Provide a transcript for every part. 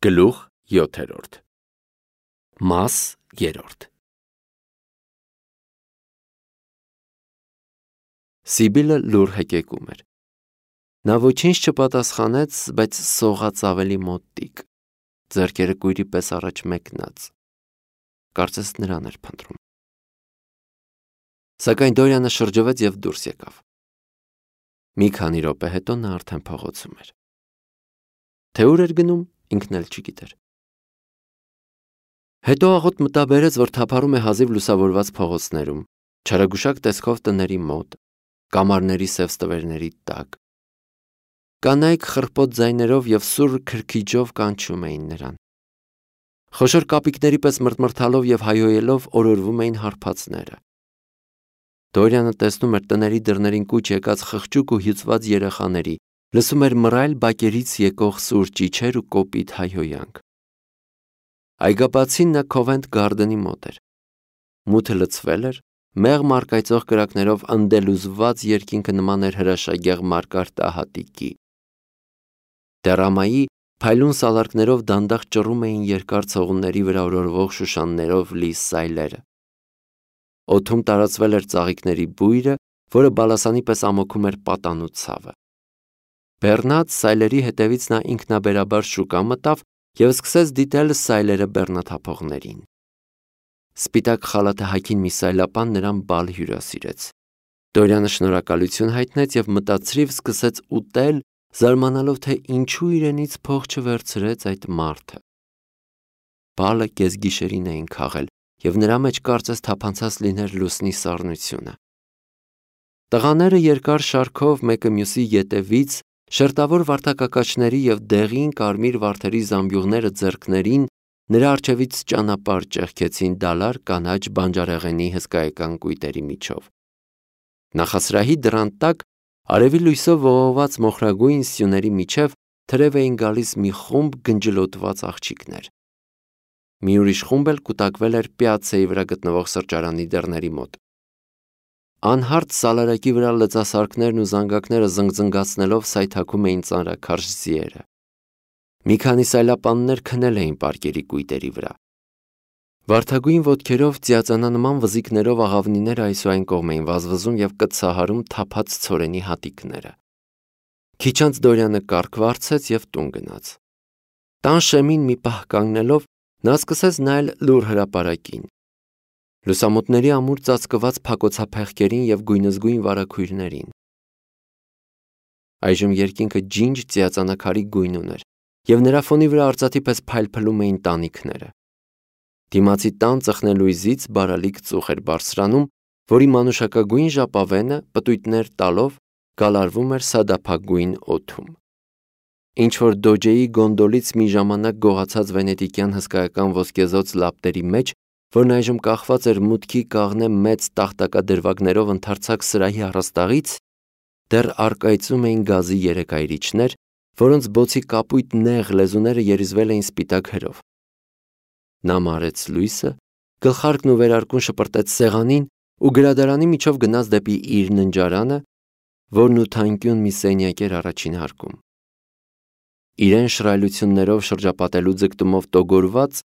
Գլուխ 7 Մաս 3 Սիբիլը լուր հեկեկում էր։ Նա ոչինչ չպատասխանեց, բայց սողաց ավելի մոտիկ, ձեռքերը կույրի պես առաջ մեկնած։ Կարծես նրան էր փնտրում։ Սակայն Դորյանը շրջվեց և դուրս եկավ։ Մի քանի րոպե հետո նա արդեն փողոցում էր։ Թե ուր էր գնում, ինքն էլ չգիտեր։ Հետո աղոտ մտաբերեց, որ թափառում է հազիվ լուսավորված փողոցներում, չարագուշակ տեսքով տների մոտ, կամարների սև ստվերների տակ։ Կանայք խռպոտ ձայներով և սուր քրքիջով կանչում էին նրան։ Խոշոր կապիկների պես մռթմռթալով և հայհոյելով օրորվում էին հարբածները։ Դորյանը տեսնում էր տների դռներին կուչ եկած խղճուկ ու հյուծված երեխաների, լսում էր մռայլ բակերից եկող սուր ճիչեր ու կոպիտ հայհոյանք։ Այգաբացին նա Քովենթ Գարդենի մոտ էր։ Մութը լցվել էր, մեղմ առկայծող կրակներով ընդելուզված երկինքը նման էր հրաշագեղ մարգարտահատիկի։ Դեռամայի փայլուն սալարկներով դանդաղ ճռում էին երկար ցողունների վրա օրորվող շուշաններով լի սայլերը։ Օդում տարածվել էր ծաղիկների բույրը, որը բալասանի պես ամոքում էր պատանու ցավը։ Բեռնած սայլերի հետևից նա ինքնաբերաբար շուկա մտավ և սկսեց դիտել սայլերը բեռնաթափողներին։ Սպիտակ խալաթը հագին մի սայլապան նրան բալ հյուրասիրեց։ Դորյանը շնորհակալություն հայտնեց և մտածրիվ սկսեց ուտել, զարմանալով, թե ինչու իրենից փող չվերցրեց այդ մարդը։ Բալը կեսգիշերին էին քաղել, և նրա մեջ կարծես թափանցած լիներ լուսնի սառնությունը։ Տղաները երկար շարքով մեկը մյուսի ետևից, շերտավոր վարդակակաչների և դեղին կարմիր վարդերի զամբյուղները ձեռքներին, նրա առջևից ճանապարհ ճեղքեցին դալար կանաչ բանջարեղենի հսկայական կույտերի միջով։ Նախասրահի դռան տակ, արևի լույսով ողողված մոխրագույն սյուների միջև թրև էին գալիս մի խումբ գնջլոտված աղջիկներ։ Մի ուրիշ խումբ էլ կուտակվել էր պյացցայի վրա գտնվող սրճարանի դռների մոտ։ Անհարթ սալարակի վրա լծասարքներն ու զանգակները զնգզնգացնելով սայթաքում էին ծանրաքարշ ձիերը։ Մի քանի սայլապաններ քնել էին պարկերի կույտերի վրա։ Վարդագույն ոտքերով ծիածանանման վզիկներով աղավնիները այս ու այն կողմ էին վազվզում և կծահարում թափած ցորենի հատիկները։ Քիչ անց Դորյանը կառք վարձեց և տուն գնաց։ Տան շեմին մի պահ կանգնելով, նա սկսեց նայել լուռ հրապարակին։ Լուսամուտների ամուր ծածկված փակոցափեղկերին և գույնզգույն վարագույրներին։ Այժմ երկինքը ջինջ ծիածանաքարի գույն ուներ, և նրա ֆոնի վրա արծաթի պես փայլփլում էին տանիքները։ Դիմացի տան ծխնելույզից բարալիկ ծուխ էր բարձրանում, որի մանուշակագույն ժապավենը, պտույտներ տալով, գալարվում էր սադափագույն օդում։ Ինչ-որ դոջեի գոնդոլից մի ժամանակ գողացած վենետիկյան հսկայական ոսկեզօծ լապտերի մեջ, որն այժմ կախված էր մուտքի կաղնե մեծ տախտակադրվագներով ընդարձակ սրահի առաստաղից, դեռ առկայծում էին գազի երեք այրիչներ, որոնց բոցի կապույտ նեղ լեզուները երիզվել էին սպիտակ հրով։ Նա մարեց լույսը, գլխարկն ու վերարկուն շպրտեց սեղանին ու գրադարանի միջով գնաց դեպի իր ննջարանը, որն ութանկյուն մի սենյակ էր առաջին հարկում։ Իրեն շռայլություններով շրջապատելու ձգտումով տոգորված,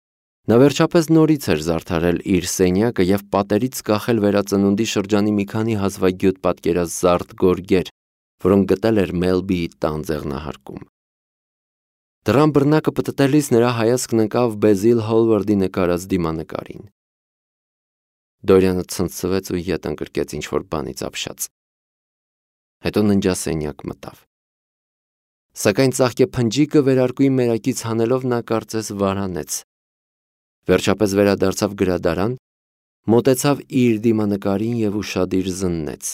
նա վերջապես նորից էր զարդարել իր սենյակը և պատերից կախել վերածնունդի շրջանի մի քանի հազվագյուտ պատկերազարդ գորգեր, որոնք գտել էր Մելբիի տան ձեղնահարկում։ Դռան բռնակը պտտելիս նրա հայացքն ընկավ Բեզիլ Հոլվարդի նկարած դիմանկարին։ Դորյանը ցնցվեց ու ետ ընկրկեց ինչ-որ բանից ապշած։ Հետո ննջասենյակ մտավ։ Սակայն ծաղկե փնջիկը վերարկուի մերակից հանելով նա կարծես վարանեց։ Վերջապես վերադարձավ գրադարան, մոտեցավ իր դիմանկարին և ուշադիր զննեց։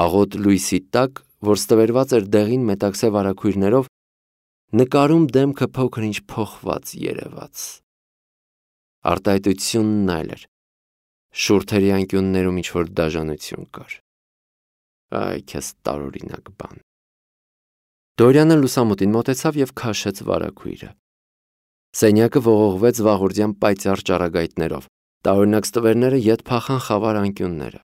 Աղոտ լույսի տակ, որ ստվերված էր դեղին մետաքսե վարագույրներով, նկարում դեմքը փոքր-ինչ փոխված երևաց։ Արտահայտությունն այլ էր։ Շուրթերի անկյուններում ինչ-որ դաժանություն կար։ Այ քեզ տարօրինակ բան։ Դորյանը լուսամուտին մոտեցավ և քաշեց վարագույրը։ Սենյակը ողողվեց վաղորդյան պայծառ ճառագայթներով, տարօրինակ ստվերները ետ փախան խավար անկյունները։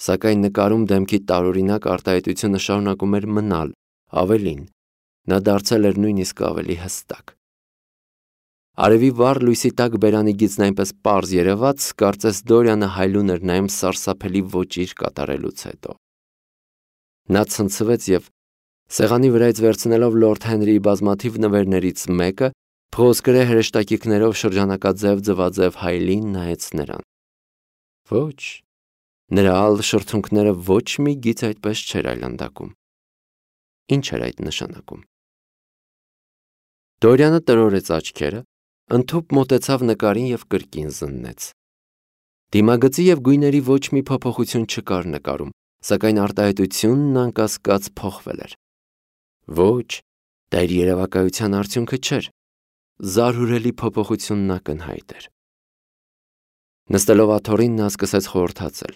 Սակայն նկարում դեմքի տարօրինակ արտահայտությունը շարունակում էր մնալ, ավելին, նա դարձել էր նույնիսկ ավելի հստակ։ Արևի վառ լույսի տակ բերանի գիծն այնպես պարզ երևաց, կարծես Դորյանը հայլուն էր նայում սարսափելի ոճիր կատարելուց հետո։ Նա ցնցվեց և, սեղանի վրայից վերցնելով Լորդ Հենրիի բազմաթիվ նվերներից մեկը, փղոսկրե հրեշտակիքներով շրջանակաձև ձվաձև հայելին նայեց նրան։ Ոչ, նրա ալ շրթունքները ոչ մի գիծ այդպես չէր այլանդակում։ Ինչ էր այդ նշանակում։ Դորյանը տրորեց աչքերը, ընդհուպ մոտեցավ նկարին և կրկին զննեց։ Դիմագծի և գույների ոչ մի փոփոխություն չկար նկարում, սակայն արտահայտությունն անկասկած փոխվել էր։ Ոչ, դա իր երևակայության արդյունքը չէր։ Զարհուրելի փոփոխությունն ակնհայտ էր։ Նստելով աթոռին նա սկսեց խորհրդացել։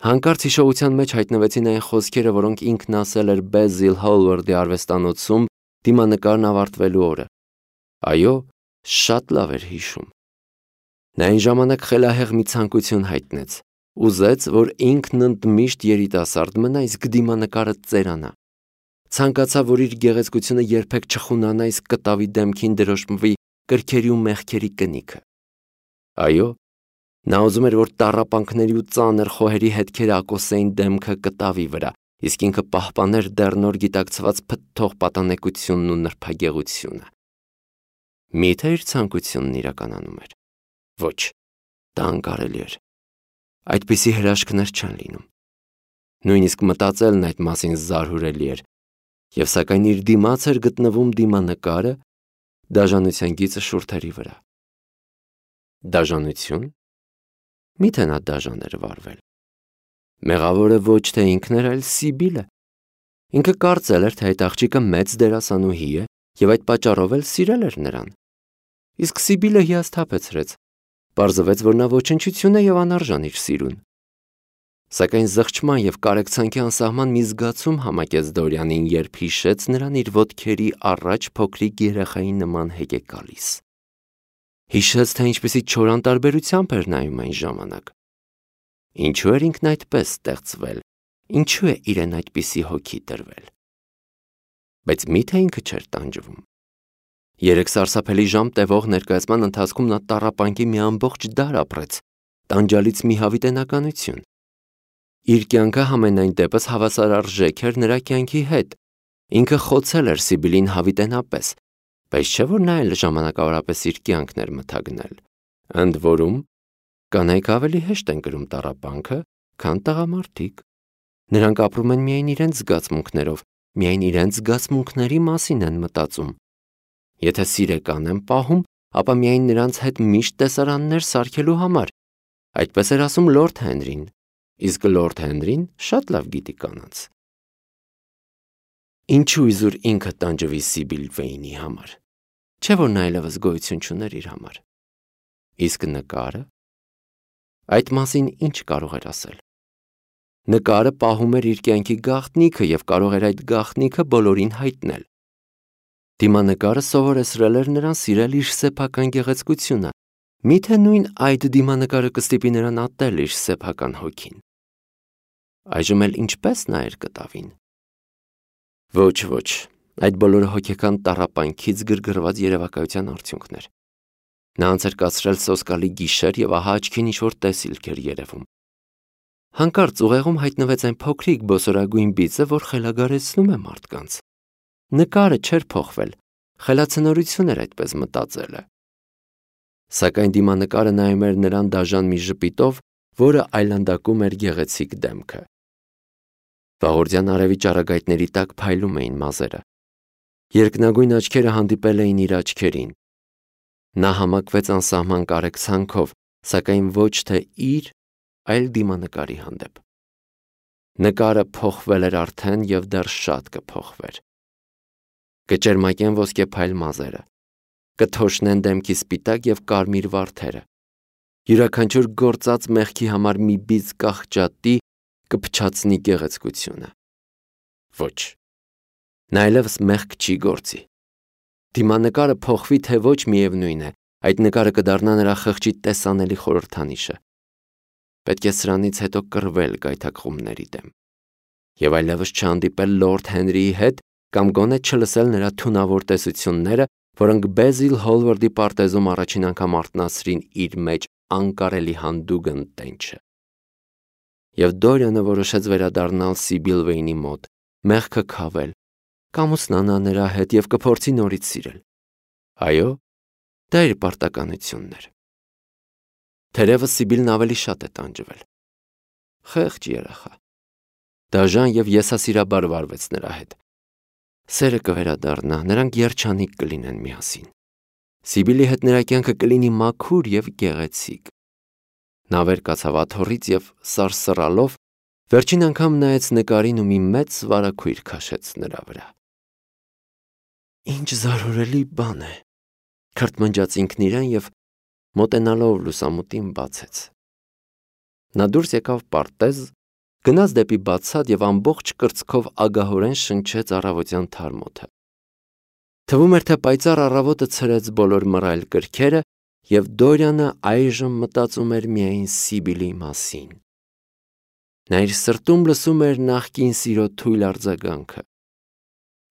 Հանկարծ հիշողության մեջ հայտնվեցին այն խոսքերը, որոնք ինքն ասել էր Բեզիլ Հոլվարդի արվեստանոցում դիմանկարն ավարտվելու օրը։ Այո, շատ լավ էր հիշում։ Նա այն ժամանակ խելահեղ մի ցանկություն հայտնեց։ Ուզեց, որ ինքն ընդմիշտ երիտասարդ մնա, իսկ դիմանկարը ծերանա։ Ցանկացավ, որ իր գեղեցկությունը երբեք չխունանա, իսկ կտավի դեմքին դրոշմվի կրքերի ու մեղքերի կնիքը։ Այո, նա ուզում էր, որ տառապանքների ու ծանր խոհերի հետքերը ակոսեին դեմքը կտավի վրա, իսկ ինքը պահպաներ դեռ նոր գիտակցված փթթող պատանեկությունն ու նրբագեղությունը։ Միթե իր ցանկությունն իրականանում էր։ Ոչ, դա անկարելի էր։ Այդպիսի հրաշքներ չեն լինում։ Նույնիսկ մտածելն այդ մասին զարհուրելի էր, և սակայն իր դիմաց էր գտնվում դիմանկարը, դաժանության գիծը շուրթերի վրա։ Դաժանություն։ Միթե նա դաժան էր վարվել։ Մեղավորը ոչ թե ինքն էր, այլ Սիբիլը։ Ինքը կարծել էր, թե այդ աղջիկը մեծ դերասանուհի է և այդ պատճառով էլ սիրել էր նրան։ Իսկ Սիբիլը հիասթափեցրեց, պարզվեց, որ նա ոչնչություն է և անարժան իր սիրուն։ Սակայն զղջման և կարեկցանքի անսահման մի զգացում համակեց Դորյանին, երբ հիշեց նրան իր ոտքերի առաջ փոքրիկ երեխայի նման հեկեկալիս։ Հիշեց, թե ինչպիսի չոր անտարբերությամբ էր նայում այն ժամանակ։ Ինչու էր ինքն այդպես ստեղծվել, ինչու է իրեն այդպիսի հոգի տրվել։ Բայց միթե ինքը չէր տանջվում։ 3 սարսափելի ժամ տևող ներկայացման ընթացքում նա տառապանքի մի ամբողջ դար ապրեց, տանջալից մի հավիտենականություն։ Իր կյանքը համենայն դեպս հավասարարժեք էր նրա կյանքի հետ։ Ինքը խոցել էր Սիբիլին հավիտենապես, բայց չէ՞ որ նա էլ ժամանակավորապես իր կյանքն էր մթագնել։ Ընդ որում, կանայք ավելի հեշտ են կրում տառապանքը, քան տղամարդիկ։ Նրանք ապրում են միայն իրենց զգացմունքներով, միայն իրենց զգացմունքների մասին են մտածում։ Եթե սիրեկան են պահում, ապա միայն նրանց հետ միշտ տեսարաններ սարքելու համար։ Այդպես էր ասում Լորդ Հենրին, իսկ Լորդ Հենրին շատ լավ գիտի կանանց։ Ինչու իզուր ինքը տանջվի Սիբիլ Վեյնի համար։ Չէ՞ որ նա այլևս գոյություն չուներ իր համար։ Իսկ նկարը։ Այդ մասին ինչ կարող էր ասել։ Նկարը պահում էր իր կյանքի գաղտնիքը և կարող էր այդ գաղտնիքը բոլորին հայտնել։ Դիմանկարը սովորեցրել էր նրան սիրել իր սեփական գեղեցկությունը։ Միթե նույն այդ դիմանկարը կստիպի նրան ատել իր սեփական հոգին։ Այժմ էլ ինչպես նայեր կտավին։ Ոչ, ոչ, այդ բոլորը հոգեկան տառապանքից գրգռված երևակայության արդյունքն էր։ Նա անց էր կացրել սոսկալի գիշեր և ահա աչքին ինչ-որ տեսիլք էր երևում։ Հանկարծ ուղեղում հայտնվեց այն փոքրիկ բոսորագույն բիծը, որ խելագարեցնում է մարդկանց։ Նկարը չէր փոխվել, խելացնորություն էր այդպես մտածելը։ Սակայն դիմանկարը նայում էր նրան դաժան մի ժպիտով, որը այլանդակում էր գեղեցիկ դեմքը։ Վաղորդյան արևի ճառագայթների տակ փայլում էին մազերը։ Երկնագույն աչքերը հանդիպել էին իր աչքերին։ Նա համակվեց անսահման կարեկցանքով, սակայն ոչ թե իր, այլ դիմանկարի հանդեպ։ Նկարը փոխվել էր արդեն և դեռ շատ կփոխվեր։ Կճերմակեն ոսկեփայլ մազերը, կթոշնեն դեմքի սպիտակ և կարմիր վարդերը։ Յուրաքանչյուր գործած մեղքի համար մի բիծ կախճատի կփչացնի գեղեցկությունը։ Ոչ, նա այլևս մեղք չի գործի։ Դիմանկարը փոխվի, թե ոչ, միևնույն է, այդ նկարը կդառնա նրա խղճի տեսանելի խորհրդանիշը։ Պետք է սրանից հետո կռվել գայթակղումների դեմ և այլևս չհանդիպել Լորդ Հենրիի հետ կամ գոնե չլսել նրա թունավոր տեսությունները, որոնք Բեզիլ Հոլվարդի պարտեզում առաջին անգամ արթնացրին իր մեջ անկարելի հանդուգն տենչը։ Եվ Դորիանը որոշեց վերադառնալ Սիբիլ Վեյնի մոտ, մեղքը քավել, կամուսնանա նրա հետ և կփորձի նորից սիրել։ Այո, դա իր պարտականությունն էր։ Թերևս Սիբիլն ավելի շատ է տանջվել։ Խեղճ երեխա։ Դաժան և եսասիրաբար վարվեց նրա հետ։ Սերը կվերադառնա, նրանք երջանիկ կլինեն միասին։ Սիբիլի հետ նրա կյանքը կլինի մաքուր և գեղեցիկ։ Նա վեր կացավ աթոռից և սարսռալով վերջին անգամ նայեց նկարին ու մի մեծ վարագույր քաշեց նրա վրա։ Ինչ զարհուրելի բան է, քրթմնջաց ինքն իրեն և մոտենալով լուսամուտին բացեց։ Նա դուրս եկավ պարտեզ, գնաց դեպի բացատ և ամբողջ կրծքով ագահորեն շնչեց առավոտյան թարմ օդը։ Թվում էր, թե պայծառ առավոտը ցրեց բոլոր մռայլ կրքերը, և Դորիանը այժմ մտածում էր միայն Սիբիլի մասին։ Նա իր սրտում լսում էր նախկին սիրո թույլ արձագանքը։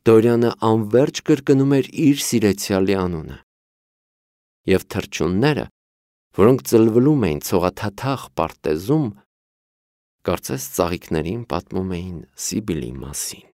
Դորիանը անվերջ կրկնում էր իր սիրեցյալի անունը։ Եվ թռչունները, որոնք ծլվլում էին ցողաթաթախ պարտեզում, կարծես ծաղիկներին պատմում էին Սիբիլի մասին։